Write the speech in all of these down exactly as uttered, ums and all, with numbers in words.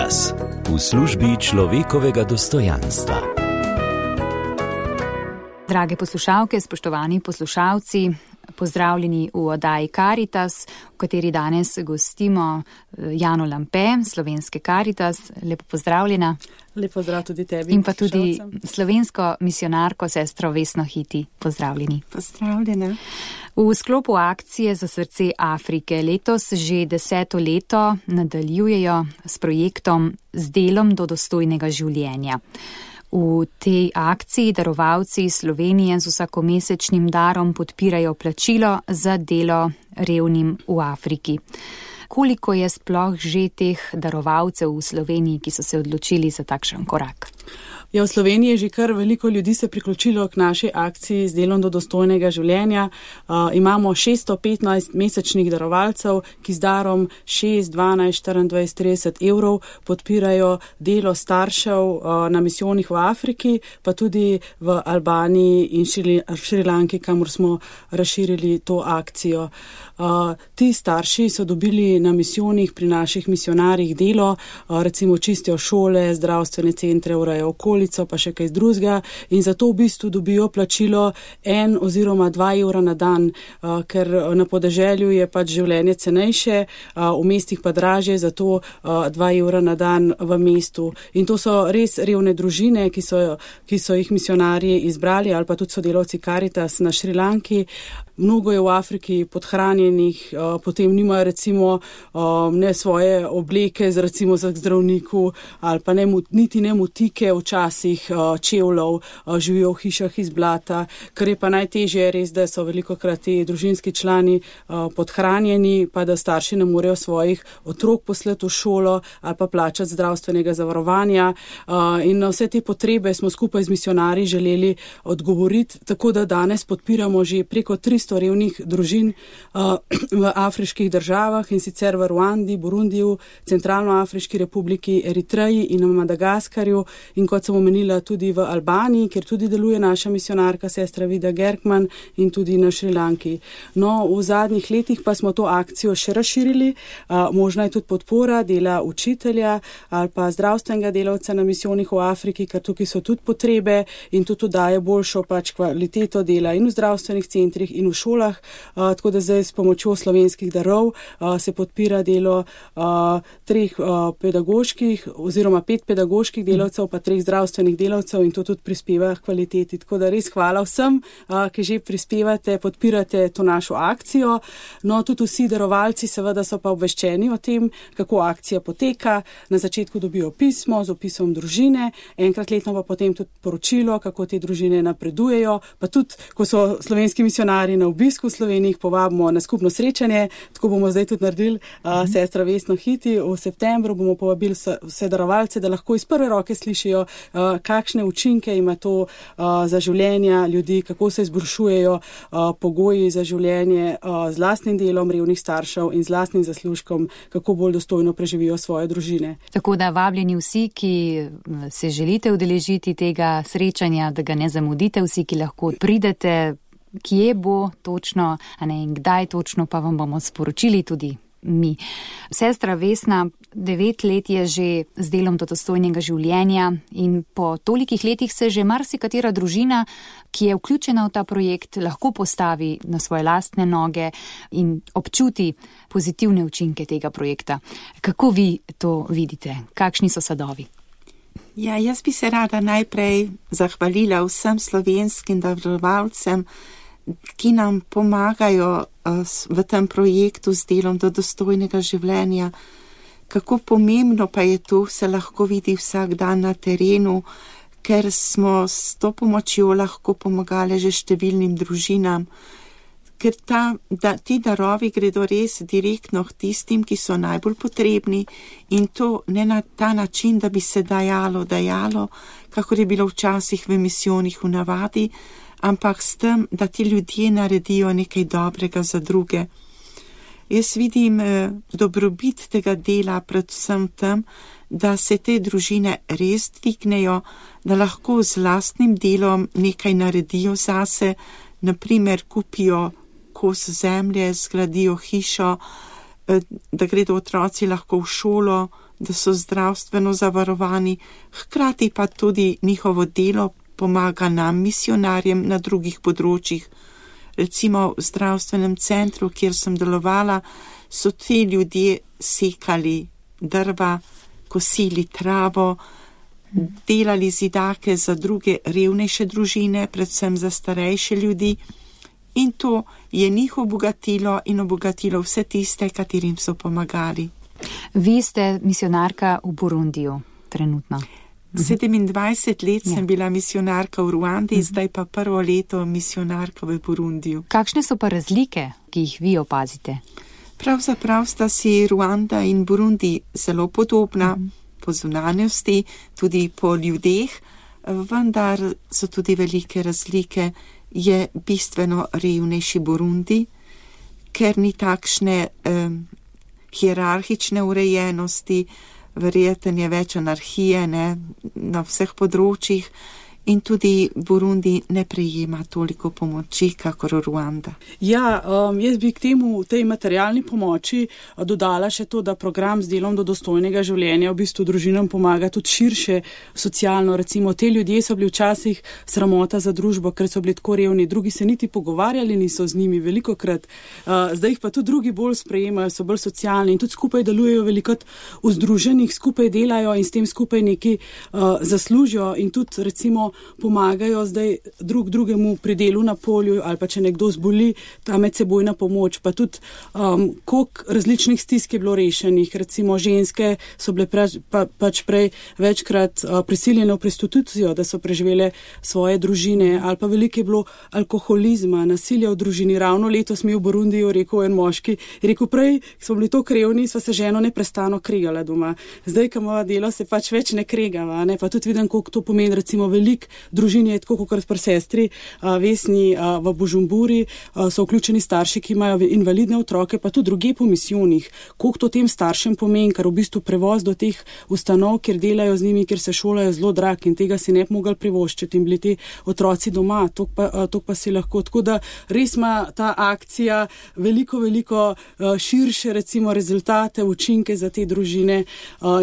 Karitas v službi človekovega dostojanstva. Drage poslušalke, spoštovani poslušalci, pozdravljeni v oddaji Karitas, v kateri danes gostimo Jano Lampe, slovenske Karitas. Lepo pozdravljena. Lep pozdrav tudi tebi. In pa tudi slovensko misionarko sestro Vesno Hiti. Pozdravljeni. Pozdravljena. V sklopu akcije Za srce Afrike letos že deseto leto nadaljujejo s projektom Z delom do dostojnega življenja. V tej akciji darovalci Slovenije z vsakomesečnim darom podpirajo plačilo za delo revnim v Afriki. Koliko je sploh že teh darovalcev v Sloveniji, ki so se odločili za takšen korak? Ja, v Sloveniji je že kar veliko ljudi se priključilo k naši akciji Z delom do dostojnega življenja. Uh, imamo šeststo petnajst mesečnih darovalcev, ki z darom šest, dvanajst, štiriindvajset, trideset evrov podpirajo delo staršev uh, na misijonih v Afriki, pa tudi v Albaniji in Šrilanki, kamor smo razširili to akcijo. Uh, ti starši so dobili na misijonih pri naših misionarjih delo, uh, recimo čistijo šole, zdravstvene centre, urejajo okolico, pa še kaj drugega, in zato v bistvu dobijo plačilo en oziroma dva evra na dan, uh, ker na podeželju je pač življenje cenejše, uh, v mestih pa dražje, zato uh, dva evra na dan v mestu. In to so res revne družine, ki so, ki so jih misionarji izbrali, ali pa tudi sodelavci Karitas na Šrilanki. Mnogo je v Afriki podhranjenih, potem nimajo recimo ne svoje obleke z recimo za zdravniku ali pa ne, niti ne motike včasih čevljev, živijo v hišah iz blata, kar je pa najtežje res, da so velikokrat ti družinski člani podhranjeni, pa da starši ne morejo svojih otrok poslati v šolo ali pa plačati zdravstvenega zavarovanja, in na vse te potrebe smo skupaj z misionarji želeli odgovoriti, tako da danes podpiramo že preko tristo revnih družin uh, v afriških državah, in sicer v Ruandi, Burundiju, Centralnoafriški republiki, Eritreji in na Madagaskarju, in kot sem omenila tudi v Albaniji, kjer tudi deluje naša misionarka sestra Vida Gerkman, in tudi na Šrilanki. No, v zadnjih letih pa smo to akcijo še razširili, uh, možna je tudi podpora dela učitelja ali pa zdravstvenega delavca na misijonih v Afriki, ker tukaj so tudi potrebe in tudi daje boljšo pač kvaliteto dela in v zdravstvenih centrih in v šolah, uh, tako da zdaj s pomočjo slovenskih darov uh, se podpira delo uh, treh uh, pedagoških oziroma pet pedagoških delavcev, pa treh zdravstvenih delavcev, in to tudi prispeva k kvaliteti. Tako da res hvala vsem, uh, ki že prispevate, podpirate to našo akcijo. No, tudi vsi darovalci seveda so pa obveščeni o tem, kako akcija poteka. Na začetku dobijo pismo z opisom družine, enkrat letno pa potem tudi poročilo, kako te družine napredujejo, pa tudi, ko so slovenski misionarji na obisku v Sloveniji, povabimo na skupno srečanje, tako bomo zdaj tudi naredili uh, sestra Vesno Hiti. V septembru bomo povabili vse darovalce, da lahko iz prve roke slišijo, uh, kakšne učinke ima to uh, za življenja ljudi, kako se izboljšujejo uh, pogoji za življenje uh, z lastnim delom revnih staršev in z lastnim zaslužkom, kako bolj dostojno preživijo svoje družine. Tako da vabljeni vsi, ki se želite udeležiti tega srečanja, da ga ne zamudite, vsi, ki lahko pridete, kje bo točno, a ne in kdaj točno, pa vam bomo sporočili tudi mi. Sestra Vesna, devet let je že z delom do dostojnega življenja, in po tolikih letih se že marsikatera družina, ki je vključena v ta projekt, lahko postavi na svoje lastne noge in občuti pozitivne učinke tega projekta. Kako vi to vidite? Kakšni so sadovi? Ja, jaz bi se rada najprej zahvalila vsem slovenskim darovalcem, ki nam pomagajo v tem projektu Z delom do dostojnega življenja. Kako pomembno pa je to, se lahko vidi vsak dan na terenu, ker smo s to pomočjo lahko pomagali že številnim družinam, ker ta, da, ti darovi gredo res direktno k tistim, ki so najbolj potrebni, in to ne na ta način, da bi se dajalo, dajalo, kakor je bilo včasih v misijonih v navadi, ampak s tem, da ti ljudje naredijo nekaj dobrega za druge. Jaz vidim eh, dobrobit tega dela predvsem tem, da se te družine res dvignejo, da lahko z lastnim delom nekaj naredijo zase, naprimer kupijo kos zemlje, zgradijo hišo, da gredo otroci lahko v šolo, da so zdravstveno zavarovani, hkrati pa tudi njihovo delo pomaga nam, misionarjem, na drugih področjih. Recimo v zdravstvenem centru, kjer sem delovala, so ti ljudje sekali drva, kosili travo, delali zidake za druge revnejše družine, predvsem za starejše ljudi, in to je njih obogatilo in obogatilo vse tiste, katerim so pomagali. Vi ste misionarka v Burundiju trenutno. sedemindvajset let sem ja. bila misionarka v Ruandi, uh-huh. zdaj pa prvo leto misionarka v Burundiju. Kakšne so pa razlike, ki jih vi opazite? Pravzaprav sta si Ruanda in Burundi zelo podobna, uh-huh. po zunanjosti, tudi po ljudeh, vendar so tudi velike razlike. Je bistveno revnejši Burundi, ker ni takšne eh, hierarhične urejenosti, verjetno je več anarhije, ne, na vseh področjih, in tudi Burundi ne prejema toliko pomoči, kakor Ruanda. Ja, um, jaz bi k temu, tej materialni pomoči dodala še to, da program z delom do dostojnega življenja v bistvu družinam pomaga tudi širše socialno. Recimo, te ljudje so bili včasih sramota za družbo, ker so bili tako revni, drugi se niti pogovarjali niso z njimi velikokrat, uh, zdaj jih pa tudi drugi bolj sprejemajo, so bolj socialni in tudi skupaj delujejo velikokrat v združenjih, skupaj delajo in s tem skupaj nekaj uh, zaslužijo in tudi recimo pomagajo zdaj drug drugemu pri delu na polju ali pa če nekdo zboli, ta medsebojna pomoč, pa tudi um, koliko različnih stisk je bilo rešenih, recimo ženske so bile prač, pa, pač prej večkrat uh, prisiljene v prostitucijo, da so preživele svoje družine, ali pa veliko je bilo alkoholizma, nasilja v družini. Ravno letos mi v Burundiju rekel en moški, rekel prej, smo bili to krevni, sva se ženo neprestano kregala doma. Zdaj, ko imamo delo, se pač več ne kregava, ne? Pa tudi vidim, koliko to pomeni, recimo veliko družini je tako, kot pri sestri Vesni v Bužumburi, so vključeni starši, ki imajo invalidne otroke, pa tudi druge po misijonih. Koliko to tem staršem pomeni, ker v bistvu prevoz do teh ustanov, kjer delajo z njimi, kjer se šolajo, zelo drag in tega si ne bi mogli privoščiti in bili ti otroci doma, to pa, to pa si lahko. Tako da res ima ta akcija veliko, veliko širše recimo rezultate, učinke za te družine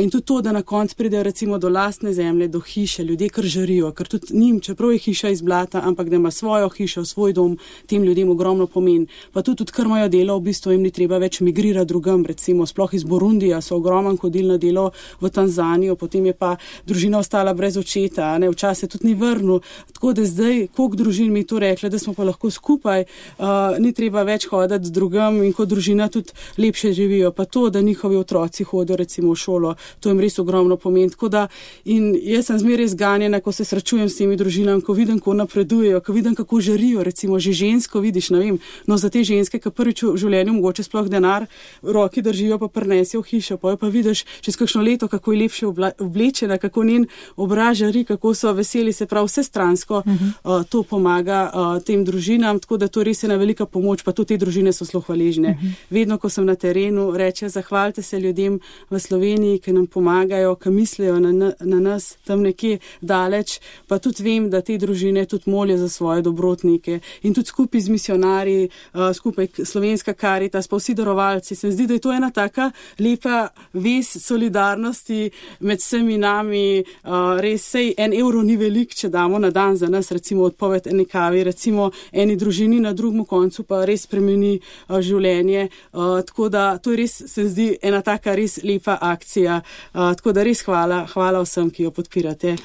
in tudi to, da na koncu pridejo recimo do lastne zemlje, do hiše, ljudje kar žarijo, ker tudi njim, čeprav je hiša iz blata, ampak da ima svojo hišo, svoj dom, tem ljudem ogromno pomeni. Pa tudi, tudi kar imajo delo, v bistvu jim ni treba več migrirati drugam, recimo sploh iz Burundija so ogromno hodili na delo v Tanzanijo, potem je pa družina ostala brez očeta, ne, včasih tudi ni vrnil. Tako da zdaj, koliko družin mi to rekla, da smo pa lahko skupaj, uh, ni treba več hoditi drugam in kot družina tudi lepše živijo. Pa to, da njihovi otroci hodijo recimo v šolo, to jim res ogromno pomeni. Tako da in jaz sem zmeraj zganjena, ko se srečujem s temi družinami, ko vidim, ko napredujejo, ko vidim, kako žarijo, recimo že žensko vidiš, ne vem, no za te ženske, ki prvič v življenju mogoče sploh denar v roki držijo, pa prinesijo v hišo, pa jo pa vidiš čez kakšno leto, kako je lepše oblečena, kako njen obraz žari, kako so veseli, se pravi vse stransko, uh-huh. uh, to pomaga uh, tem družinam, tako da to res je na velika pomoč, pa tudi te družine so zelo hvaležne. Uh-huh. Vedno, ko sem na terenu, reče, zahvalite se ljudem v Sloveniji, ki nam pomagajo, ki mislijo na, na nas tam nekje daleč, pa tudi vem, da te družine tudi molijo za svoje dobrotnike in tudi skupaj z misionarji, uh, skupaj Slovenska Karitas, pa vsi darovalci. Se zdi, da je to ena taka lepa vez solidarnosti med vsemi nami. Uh, res sej en evro ni velik, če damo na dan za nas, recimo odpoved eni kavi, recimo eni družini na drugem koncu pa res spremeni uh, življenje. Uh, tako da to je res, se zdi, ena taka res lepa akcija. Uh, tako da res hvala, hvala vsem, ki jo podpirate.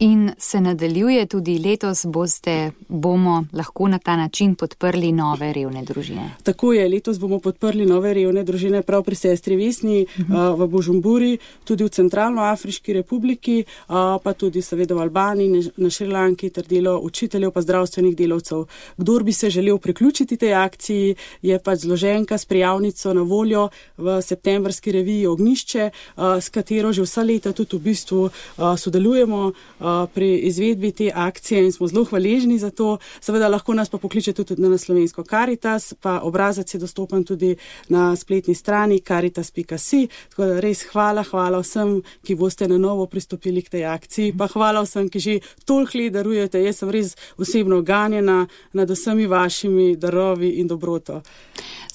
In se nadaljuje tudi letos, boste, bomo lahko na ta način podprli nove revne družine. Tako je, letos bomo podprli nove revne družine prav pri sestri Vesni uh-huh. uh, v Bužumburi, tudi v Centralnoafriški republiki, uh, pa tudi seveda v Albaniji, na Šrilanki, ter delo učiteljev pa zdravstvenih delavcev. Kdor bi se želel priključiti tej akciji, je pač zloženka s prijavnico na voljo v septembrski reviji Ognjišče, uh, s katero že vsa leta tudi v bistvu uh, sodelujemo uh, pri izvedbi te akcije in smo zelo hvaležni za to. Seveda lahko nas pa pokliče tudi na Slovensko Karitas, pa obrazac je dostopen tudi na spletni strani karitas pika si. Tako da res hvala, hvala vsem, ki boste na novo pristopili k tej akciji, pa hvala vsem, ki že toliko let darujete. Jaz sem res osebno ganjena nad vsemi vašimi darovi in dobroto.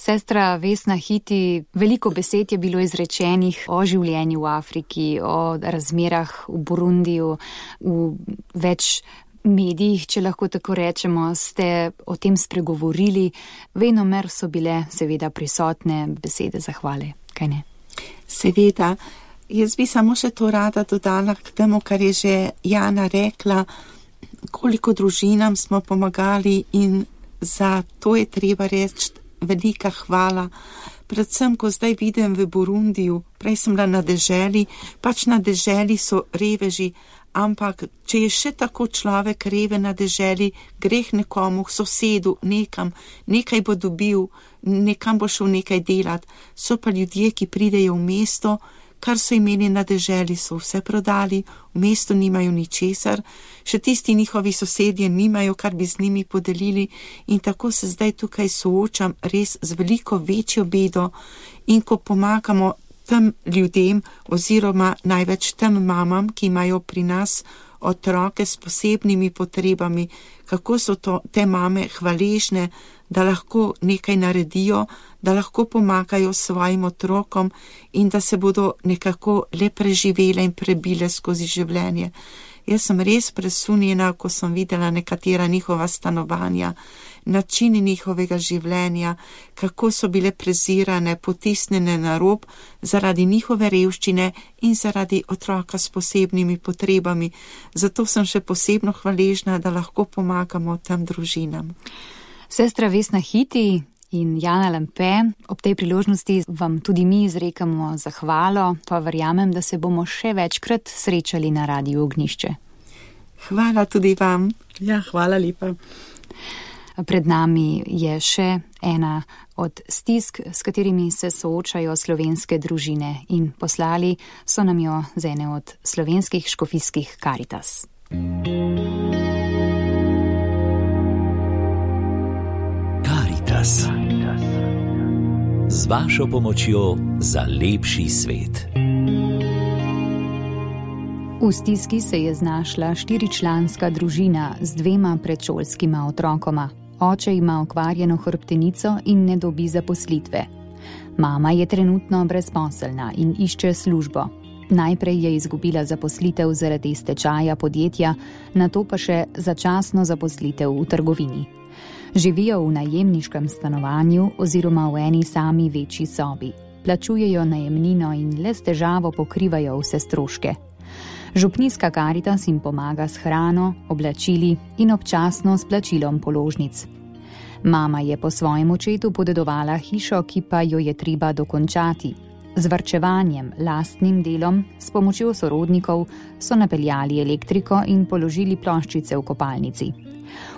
Sestra Vesna Hiti, veliko besed je bilo izrečenih o življenju v Afriki, o razmerah v Burundiju, v več medijih, če lahko tako rečemo, ste o tem spregovorili. Venomer so bile seveda prisotne besede zahvale, kaj ne? Seveda. Jaz bi samo še to rada dodala k temu, kar je že Jana rekla, koliko družinam smo pomagali in za to je treba reči velika hvala. Predvsem, ko zdaj vidim v Burundiju, prej sem bila na deželi, pač na deželi so reveži, ampak če je še tako človek reve na deželi, greh nekomu, sosedu, nekam, nekaj bo dobil, nekam bo šel nekaj delat. So pa ljudje, ki pridejo v mesto, kar so imeli na deželi, so vse prodali, v mestu nimajo ničesar, še tisti njihovi sosedje nimajo, kar bi z njimi podelili in tako se zdaj tukaj soočam res z veliko večjo bedo in ko pomagamo tem ljudem oziroma največ tem mamam, ki imajo pri nas otroke s posebnimi potrebami, kako so to, te mame hvaležne, da lahko nekaj naredijo, da lahko pomagajo svojim otrokom in da se bodo nekako le preživele in prebile skozi življenje. Jaz sem res presunjena, ko sem videla nekatera njihova stanovanja, načini njihovega življenja, kako so bile prezirane, potisnjene na rob zaradi njihove revščine in zaradi otroka s posebnimi potrebami. Zato sem še posebno hvaležna, da lahko pomagamo tem družinam. Sestra Vesna Hiti in Jana Lampe, ob tej priložnosti vam tudi mi izrekamo zahvalo, pa verjamem, da se bomo še večkrat srečali na Radiu Ognjišče. Hvala tudi vam. Ja, hvala lepa. Pred nami je še ena od stisk, s katerimi se soočajo slovenske družine in poslali so nam jo z ene od slovenskih škofijskih Karitas. Karitas. Z vašo pomočjo za lepši svet. V stiski se je znašla štiričlanska družina z dvema predšolskima otrokoma. Oče ima okvarjeno hrbtenico in ne dobi zaposlitve. Mama je trenutno brezposelna in išče službo. Najprej je izgubila zaposlitev zaradi stečaja podjetja, nato pa še začasno zaposlitev v trgovini. Živijo v najemniškem stanovanju oziroma v eni sami večji sobi. Plačujejo najemnino in le s težavo pokrivajo vse stroške. Župnijska Karitas jim pomaga s hrano, oblačili in občasno s plačilom položnic. Mama je po svojem očetu podedovala hišo, ki pa jo je treba dokončati. Z varčevanjem, lastnim delom, s pomočjo sorodnikov so napeljali elektriko in položili ploščice v kopalnici.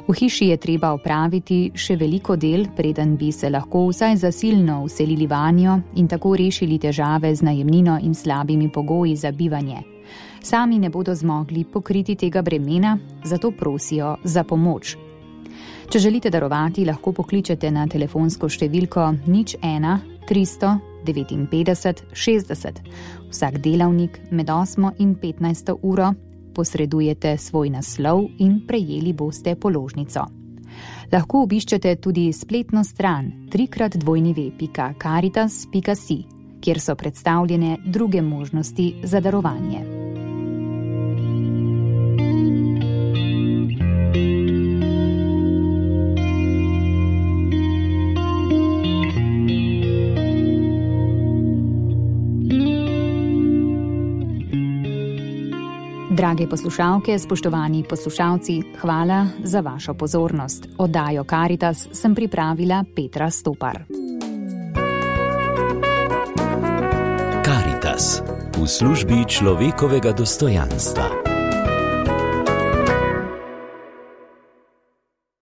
V hiši je treba opraviti še veliko del, preden bi se lahko vsaj zasilno vselili vanjo in tako rešili težave z najemnino in slabimi pogoji za bivanje. Sami ne bodo zmogli pokriti tega bremena, zato prosijo za pomoč. Če želite darovati, lahko pokličete na telefonsko številko nič ena tristo devetinpetdeset šestdeset. Vsak delavnik med osmo in petnajsto uro posredujete svoj naslov in prejeli boste položnico. Lahko obiščete tudi spletno stran trikrat dvojni ve pika karitas pika si, kjer so predstavljene druge možnosti za darovanje. Drage poslušalke, spoštovani poslušalci, hvala za vašo pozornost. Oddajo Karitas sem pripravila Petra Stopar. Karitas v službi človekovega dostojanstva.